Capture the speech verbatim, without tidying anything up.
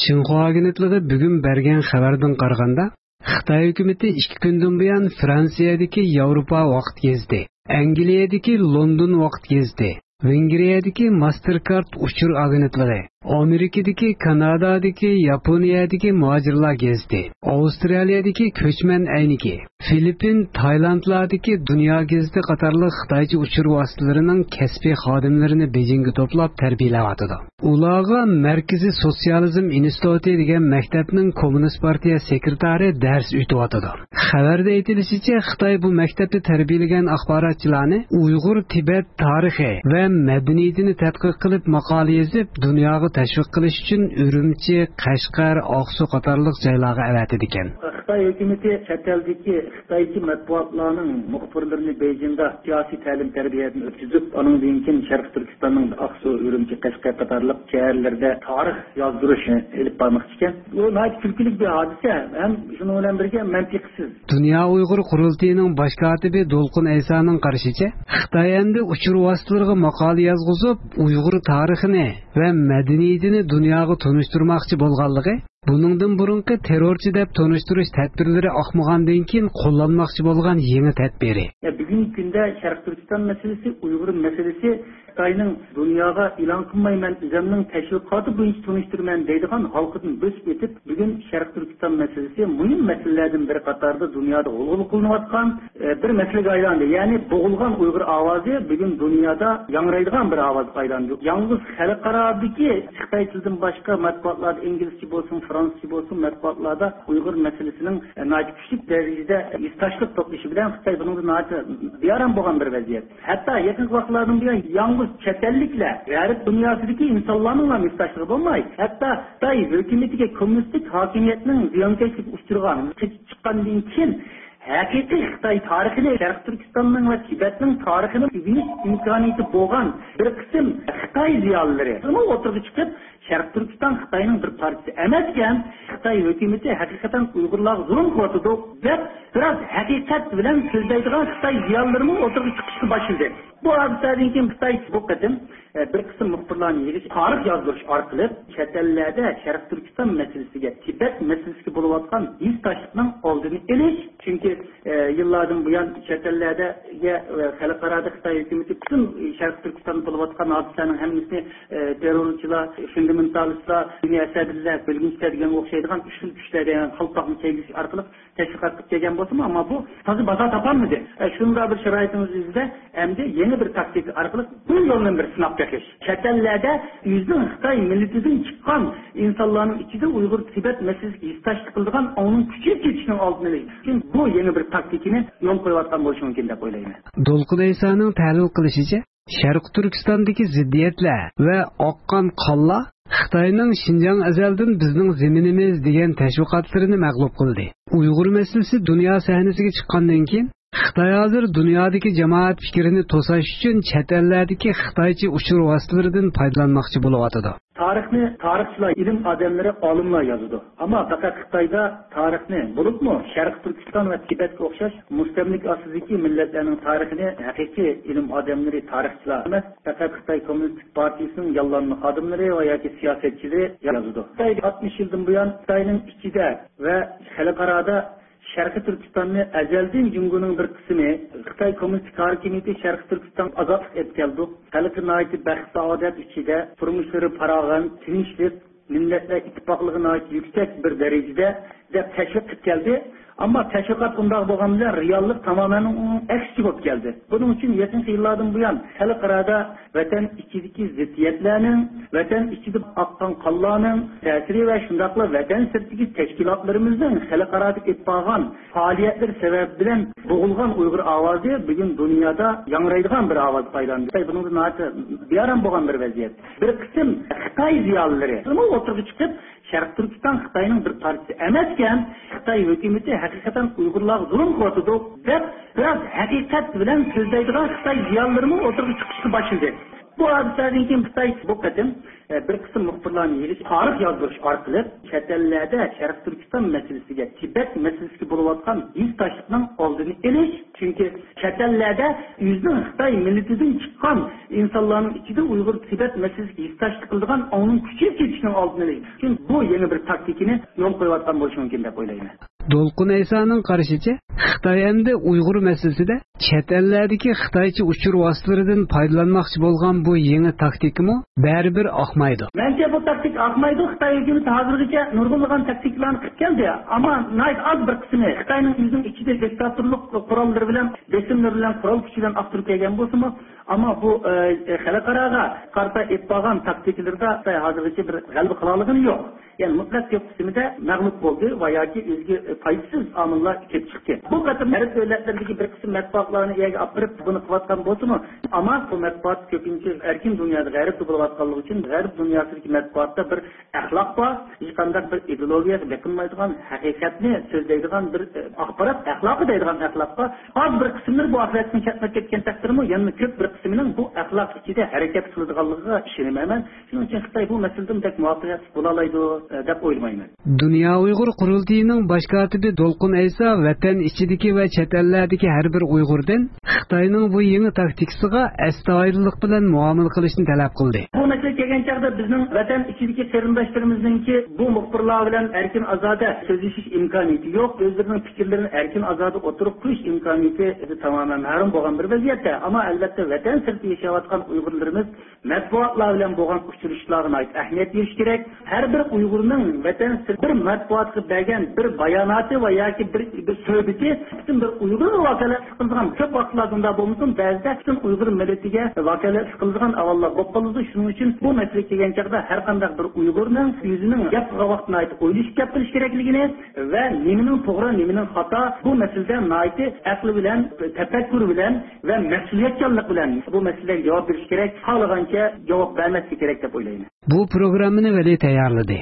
شىنخۇا ئاگېنتلىقى بۈگۈن بەرگەن خەۋەردىن قارىغاندا، خىتاي ھۆكۈمىتى ئىككى كۈندىن بۇيان فرانسىيەدىكى ياۋروپا ۋاقىت گېزىتى، ئەنگلىيەدىكى لوندون ۋاقىت گېزىتى، ۋېنگرىيەدىكى ماستېركارد ئۇچۇر ئاگېنتلىقى، ئامېرىكىدىكى، كانادادىكى، ياپونىيەدىكى مۇھاجىرلار گېزىتى، ئاۋسترالىيەدىكى كۆچمەن ئەينىكى، فىلىپپىن، تايلاندلاردىكى دۇنيا گېزىتى قاتارلىق خىتايچە ئۇچۇر ۋاسىتىلىرىنىڭ كەسپىي خادىملىرىنى بېيجىڭگە توپلاپ تەربىيەلەۋاتىدۇ. ئۇلارغا مەركىزىي سوتسىيالىزم ئىنستىتۇتى دېگەن مەكتەپنىڭ كوممۇنىست پارتىيە سېكرېتارى دەرس ئۆتۈۋاتىدۇ. خەۋەردە ئېيتىلىشىچە، خىتاي بۇ مەكتەپتە تەربىيەلىگەن ئاخباراتچىلارنى ئۇيغۇر تىبەت تارىخى ۋە مەدەنىيىتىنى تەتقىق قىلىپ ماقالە يېزىپ، دۇنياغا تەشۋىق قىلىش ئۈچۈن ئۈرۈمچى، قەشقەر، ئاقسۇ قاتارلىق جايلارغا ئەۋەتىدىكەن. خىتاي ھۆكۈمىتى چەت ئەلدىكى خىتايچە مەتبۇئاتلارنىڭ مۇخبىرلىرىنى بېيجىڭدا سىياسىي تەلىم-تەربىيەدىن ئۆتكۈزۈپ، ئانىڭدىن كېيىن شەرقىي تۈركىستاننىڭ ئاقسۇ، ئۈرۈمچى، قەشقەر قاتارلىق شەھەرلىرىدە تارىخ يازدۇرۇش ئېلىپ بارماقچى ئىكەن. بۇ ناھايىتى كۈلكىلىك بىر ھادىسە ھەم شۇنىڭ بىلەن بىرگە مەنتىقسىز. دۇنيا ئۇيغۇر قۇرۇلتىيىنىڭ باش كاتىپى دولقۇن ئەيسانىڭ قارىشىچە، خىتاي ئەمدى ئۇچۇر ۋاسىتىلىرىغا ماقالە يازغۇزۇپ، ئۇيغۇر تارىخىنى ۋە مەدەنىيىتىنى دۇنياغا تونۇشتۇرماقچى بولغانلىقى، بۇنىڭدىن بۇرۇنقى تېررورچى دەپ تونۇشتۇرۇش تەدبىرلىرى ئاقمىغاندىن كېيىن قوللانماقچى بولغان يېڭى تەدبىرى. بۈگۈنكى كۈندە شەرقىي تۈركىستان مەسىلىسى، ئۇيغۇر مەسىلىسى خىتاينىڭ دۇنياغا ئېلان قىلماي، مەن ئۆزۈمنىڭ تەشۋىقاتى بويىچە تونۇشتۇرىمەن دەيدىغان ھالقىدىن بۆسۈپ ئۆتۈپ، بۈگۈن شەرقىي تۈركىستان مەسىلىسى مۇھىم مەسىلىلەردىن بىرى قاتارىدا دۇنيادا غۇلغۇلا قىلىنىۋاتقان، ئە، بىر مەسىلىگە ئايلاندى. يەنى بوغۇلغان ئۇيغۇر ئاۋازى بۈگۈن دۇنيادا ياڭرايدىغان بىر ئاۋازغا ئايلاندى. يالغۇز خەلقئارادىكى خىتاي تىلىدىن باشقا مەتبۇئاتلاردا، ئىنگلىزچە بولسۇن، فرانسۇزچە بولسۇن، مەتبۇئاتلاردا ئۇيغۇر مەسىلىسىنىڭ، ئە، ناھايىتى كۈچلۈك دەرىجىدە ھېسداشلىق توپلىشى بىلەن خىتاي بۇنىڭدا ناھايىتى بىئارام بولغان بىر ۋەزىيەت. ھەتتا يېقىنقى ۋاقىتلاردىن بۇيان يالغۇز چەت ئەللىكلەر، غەرب دۇنياسىدىكى ئىنسانلارنىڭلا ھېسداشلىقى بولماي، ھەتتا خىتاي ھۆكۈمىتىگە، كوممۇنىستىك ھاكىمىيەتنىڭ زىيانكەشلىكىگە ئۇچرىغان، قېچىپ چىققاندىن كېيىن ھەقىقىي خىتاي تارىخىنى، شەرقىي تۈركىستاننىڭ ۋە تىبەتنىڭ تارىخىنى ئۆگىنىش ئىمكانىيىتى بولغان بىر قىسىم خىتاي زىيالىيلىرى ئوتتۇرىغا چىقىپ، شەرقىي تۈركىستان خىتاينىڭ بىر پارچىسى ئەمەسكەن، خىتاي ھۆكۈمىتى ھەقىقەتەن ئۇيغۇرلارغا زۇلۇم قىلىۋاتىدۇ، دەپ بىراز ھەقىقەت بىلەن سۆزلەيدىغان خىتاي زىيالىيلىرىمۇ ئوتتۇرىغا چىقىشقا باشلىدى. بۇ ھادىسىدىن كېيىن خىتاي بۇ قېتىم، ئە، بىر قىسىم مۇخبىرلارنى يىغىش، تارىخ يازدۇرۇش ئارقىلىق چەت ئەللەردە شەرقىي تۈركىستان مەسىلىسىگە، تىبەت مەسىلىسىگە بولۇۋاتقان ھېسداشلىقنىڭ ئالدىنى ئېلىش، چۈنكى، ئە، يىللاردىن بۇيان چەت ئەللەردە، ئە، خەلقئارادا خىتاي ھۆكۈمىتى پۈتۈن شەرقىي تۈركىستاندا بولۇۋاتقان ھادىسىلەرنىڭ ھەممىسىنى، ئە، تېررورچىلار، فۇندامېنتالىستلار، دىنىي ئەسەبىيلەر، بۆلگۈنچىلەر دېگەنگە ئوخشايدىغان ئۈچ خىل كۈچلەر دېگەن قالپاقنى كىيگۈزۈش ئارقىلىق تەشۋىقات قىلىپ كەلگەن بولسىمۇ، ئەمما بۇ تازا بازار تاپالمىدى. ئە، شۇنداق بىر شارائىتىمىز يۈزىدە ئەمدى يەنە بىر تاكتىكا ئارقىلىق بۇ يولنى بىر سىناپ بېقىش. چەت ئەللەردە ئۆزىنىڭ خىتاي مىللىتىدىن چىققان ئىنسانلارنىڭ ئىچىدە ئۇيغۇر تىبەت مەسىلىسىگە ھېسداشلىق قىلىدىغان ئاڭنىڭ كۈچىيىپ كېتىشىنىڭ ئالدىنى ئېلىش ئۈچۈن بۇ يېڭى بىر تاكتىكىنى يولغا قويۇۋاتقان بولۇشى مۇمكىن دەپ ئويلايمەن. دولقۇن ئەيسانىڭ تەھلىل قىلىشىچە، شەرقىي تۈركىستاندىكى زىددىيەتلەر ۋە ئاققان قانلار خىتاينىڭ شىنجاڭ ئەزەلدىن بىزنىڭ زېمىنىمىز دېگەن تەشۋىقاتلىرىنى مەغلۇپ قىلدى. ئۇيغۇر مەسىلىسى دۇنيا سەھنىسىگە چىققاندىن كېيىن، خىتاي ھازىر دۇنيادىكى جامائەت پىكرىنى توساش ئۈچۈن چەت ئەللەردىكى خىتايچە ئۇچۇر ۋاسىتىلىرىدىن پايدىلانماقچى بولۇۋاتىدۇ. تارىخنى تارىخچىلار، ئىلىم ئادەملىرى، ئالىملار يازىدۇ. ئەمما پەقەت خىتايدا تارىخنى، بولۇپمۇ شەرقىي تۈركىستان ۋە تىبەتكە ئوخشاش مۇستەملىكە ئاستىدىكى مىللەتلەرنىڭ تارىخىنى ھەقىقىي ئىلىم ئادەملىرى، تارىخچىلار ئەمەس، پەقەت خىتاي كوممۇنىستىك پارتىيىسىنىڭ ياللانما خادىملىرى ۋە ياكى سىياسەتچىلىرى يازىدۇ. خىتاي ئاتمىش يىلدىن بۇيان خىتاينىڭ ئىچىدە ۋە خەلقئارادا شەرقىي تۈركىستاننى ئەزەلدىن جۇڭگونىڭ بىر قىسمى، خىتاي كوممۇنىستىك ھاكىمىيىتى شەرقىي تۈركىستانغا ئازادلىق ئېلىپ كەلدۇق، خەلقى ناھايىتى بەخت-سائادەت ئىچىدە، تۇرمۇشلىرى پاراۋان، تىنچلىق، مىللەتلەر ئىتتىپاقلىقى ناھايىتى يۈكسەك بىر دەرىجىدە، دەپ تەشۋىق قىلىپ كەلدى. ئەمما تەشۋىقات ئۇنداق بولغان بىلەن رېئاللىق تامامەن ئۇنىڭ ئەكسىچە بولۇپ كەلدى. بۇنىڭ ئۈچۈن يېقىنقى يىللاردىن بۇيان خەلقئارادا ۋەتەن ئىچىدىكى زىددىيەتلەرنىڭ، ۋەتەن ئىچىدە ئاققان قانلارنىڭ تەسىرى ۋە شۇنداقلا ۋەتەن سىرتىدىكى تەشكىلاتلىرىمىزنىڭ خەلقئارادىكى ئېلىپ بارغان پائالىيەتلىرى سەۋەبى بىلەن بوغۇلغان ئۇيغۇر ئاۋازى بۈگۈن دۇنيادا ياڭرايدىغان بىر ئاۋازغا ئايلاندى. بۇنىڭدا ناھايىتى بىئارام بولغان بىر ۋەزىيەت. بىر قىسىم خىتاي زىيالىيلىرى ئوتتۇرىغا چىقىپ، شەرقىي تۈركىستان خىتاينىڭ بىر پارچىسى ئەمەسكەن، خىتاي ھۆكۈمىتى ھەقىقەتەن ئۇيغۇرلارغا زۇلۇم قىلىۋاتىدۇ، دەپ بىراز ھەقىقەت بىلەن سۆزلەيدىغان خىتاي زىيالىيلىرىمۇ ئوتتۇرىغا چىقىشقا باشلىدى. بۇ بۇ ھادىسىلەردىن كېيىن خىتاي بۇ قېتىم، ئە، بىر قىسىم مۇخبىرلارنى يىغىش، تارىخ يازدۇرۇش ئارقىلىق چەت ئەللەردە شەرقىي تۈركىستان مەسىلىسىگە، تىبەت مەسىلىسىگە بولۇۋاتقان ھېسداشلىقنىڭ ئالدىنى ئېلىش، چۈنكى چەت ئەللەردە ئۆزىنىڭ خىتاي مىللىتىدىن چىققان ئىنسانلارنىڭ ئىچىدە ئۇيغۇر تىبەت مەسىلىسىگە ھېسداشلىق قىلىدىغان ئاڭنىڭ كۈچىيىپ كېتىشىنىڭ ئالدىنى ئېلىش ئۈچۈن بۇ يېڭى بىر تاكتىكىنى يولغا قويۇۋاتقان بولۇشى مۇمكىن دەپ ئويلايمەن. دولقۇن ئەيسانىڭ قارىشىچە، خىتاي ئەمدى ئۇيغۇر مەسىلىسىدە چەت ئەللەردىكى خىتايچە ئۇچۇر ۋاسىتىلىرىدىن پايدىلانماقچى بولغان بۇ يېڭى تاكتىكىمۇ بەرىبىر ئاقمايدۇ. مەنچە بۇ تاكتىكا ئاقمايدۇ. خىتاي ھۆكۈمىتى ھازىرغىچە نۇرغۇنلىغان تاكتىكىلارنى قىلىپ كەلدى. ئەمما ناھايىتى ئاز بىر قىسمى خىتاينىڭ ئۆزىنىڭ ئىچىدە دىكتاتورلۇق قوراللىرى بىلەن، بېسىملىرى بىلەن، قورال كۈچى بىلەن ئاختۇرۇپ كەلگەن بولسىمۇ، ئەمما بۇ، ئە، خەلقئاراغا قارىتا ئېلىپ بارغان تاكتىكىلىرىدا خىتاي ھازىرغىچە بىر غەلىبە قىلالىغىنى يوق. يەنى مۇتلەق كۆپ قىسمىدا مەغلۇپ بولدى ۋە ياكى ئۆزىگە پايدىسىز ئامىللار كېلىپ چىقتى. بۇ قېتىم غەرب دۆلەتلىرىدىكى بىر قىسىم مەتبۇئاتلارنى ئۇ يەرگە ئاپىرىپ بۇنى قىلىۋاتقان بولسىمۇ، ئەمما بۇ مەتبۇئات كۆپىنچە ئەركىن دۇنيادا غەربتە بولۇۋاتقانلىقى ئۈچۈن غەرب دۇنياسىدىكى مەتبۇئاتتا بىر ئەخلاق بار، ھېچقانداق بىر ئىدېئولوگىيەگە بېقىنمايدىغان، ھەقىقەتنى سۆزلەيدىغان بىر، ئە، ئاخبارات ئەخلاقى دەيدىغان ئەخلاق بار. ئاز بىر قىسىملىرى بۇ ئەخلاقتىن چەتنەپ كەتكەن تەقدىردىمۇ، يەنە كۆپ بىر قىسمىنىڭ بۇ ئەخلاق ئىچىدە ھەرىكەت قىلىدىغانلىقىغا ئىشىنىمەن مەن. شۇنىڭ ئۈچۈن خىتاي بۇ مەسىلىدىمۇ بەك مۇۋەپپەقىيەتلىك بولالايدۇ، ئە، دەپ ئويلىمايمەن. دۇنيا ئۇيغۇر قۇرۇلتىيىنىڭ باش كاتىپى دولقۇن ئەيسا ۋەتەن ئىچىدىكى ۋە چەت ئەللەردىكى ھەر بىر ئۇيغۇردىن خىتاينىڭ بۇ يېڭى تاكتىكىسىغا ئەستايىدىللىق بىلەن مۇئامىلە قىلىشنى تەلەپ قىلدى. بۇ مەسىلە كەلگەن چاغدا بىزنىڭ ۋەتەن ئىچىدىكى قېرىنداشلىرىمىزنىڭكى بۇ مۇخبىرلار بىلەن ئەركىن ئازادە سۆزلىشىش ئىمكانىيىتى يوق، ئۆزلىرىنىڭ پىكىرلىرىنى ئەركىن ئازادە ئوتتۇرىغا قويۇش ئىمكانىيىتى تامامەن مەھرۇم بولغان بىر ۋەزىيەتتە. ئەمما ئەلۋەتتە ۋەتەن سىرتىدا ياشاۋاتقان ئۇيغۇرلىرىمىز مەتبۇئاتلار بىلەن بولغان ئۇچرىشىشلارغا ناھايىتى ئەھمىيەت بېرىش كېرەك. ھەر بىر ئۇيغۇرنىڭ ۋەتەن سىرتى بىر مەتبۇئاتقا بەرگەن بىر باياناتى ۋە ياكى بىر، بىر سۆھبىتى پۈتۈن بىر ئۇيغۇرغا ۋاكالەتلىك قىلىدىغان، كۆپ ۋاقىتلاردا ئۇنداق بولمىسۇن، بەزىدە پۈتۈن ئۇيغۇر مىللىتىگە ۋاكالەتلىك قىلىدىغان ئەھۋاللار بولۇپ قالىدۇ. شۇنىڭ ئۈچۈن بۇ مەسىلىگە كەلگەن چاغدا ھەر قانداق بىر ئۇيغۇرنىڭ ئۆزىنىڭ گەپ قىلغان ۋاقتىدا ناھايىتى ئويلىشىپ گەپ قىلىش كېرەكلىكىنى ۋە نېمىنىڭ توغرا، نېمىنىڭ خاتا، بۇ مەسىلىدە ناھايىتى ئەقلى بىلەن، تەپەككۇرى بىلەن ۋە مەسئۇلىيەتچانلىق بىلەن بۇ مەسىلىلەرگە جاۋاب بېرىش كېرەك، خالىغانچە جاۋاب بەرمەسلىك كېرەك دەپ ئويلايمەن. بۇ پروگراممىنى ۋەلى تەييارلىدى.